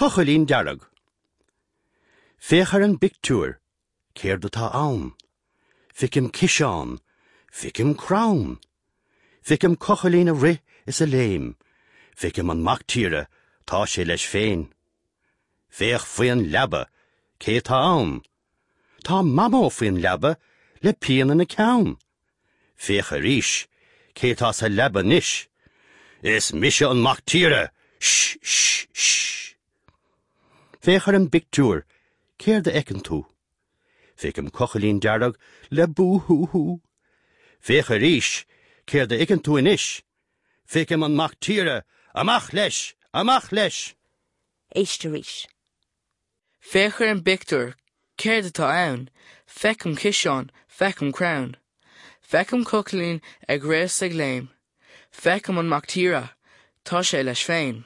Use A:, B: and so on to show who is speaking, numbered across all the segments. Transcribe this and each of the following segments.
A: Cochaillín dearg. Féach ar an bpictiúr, céard atá ann? Feicim ciseán, feicim crann. Feicim cochaillín ag rith is ag léim. Feicim an mac tíre, tá sé leis féin. Féach faoin leaba, cé tá ann? Tá Mamó faoin leaba le pian ina ceann. Féach arís, cé tá sa leaba anois? Is mise an mac tíre! Sh! Sh! Sh! Féach ar an bpictiúr, céard a fheiceann tú? Feicim cochaillín dearg le bú hú hú. Féach arís, céard a fheiceann tú anois? Feicim an mac tíre! Amach leis! Amach leis!
B: Éist arís.
C: Féach ar an bpictiúr, céard atá ann? Feicim ciseán, feicim crann. Feicim cochaillín ag rith is ag léim. Feicim an mac tíre, tá sé leis féin.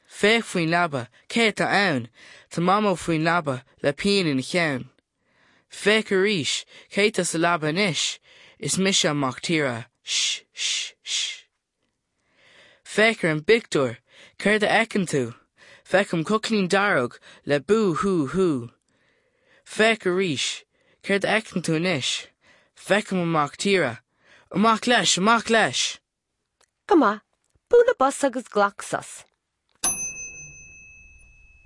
C: Féach faoin leaba, cé atá ann? Tá Mamó faoin leaba le pian ina cheann. Féach arís, cé tá sa leaba anois? Is mise an mac tíre. Sh! Sh! Sh! Féach ar an bpictiúr, céard a fheiceann tú? Feicim cochaillín dearg le bú hú hú. Féach arís, céard a fheiceann tú anois? Feicim an mac tíre. Amach leis, amach leis!
B: Go maith, buail bos agus glac sos.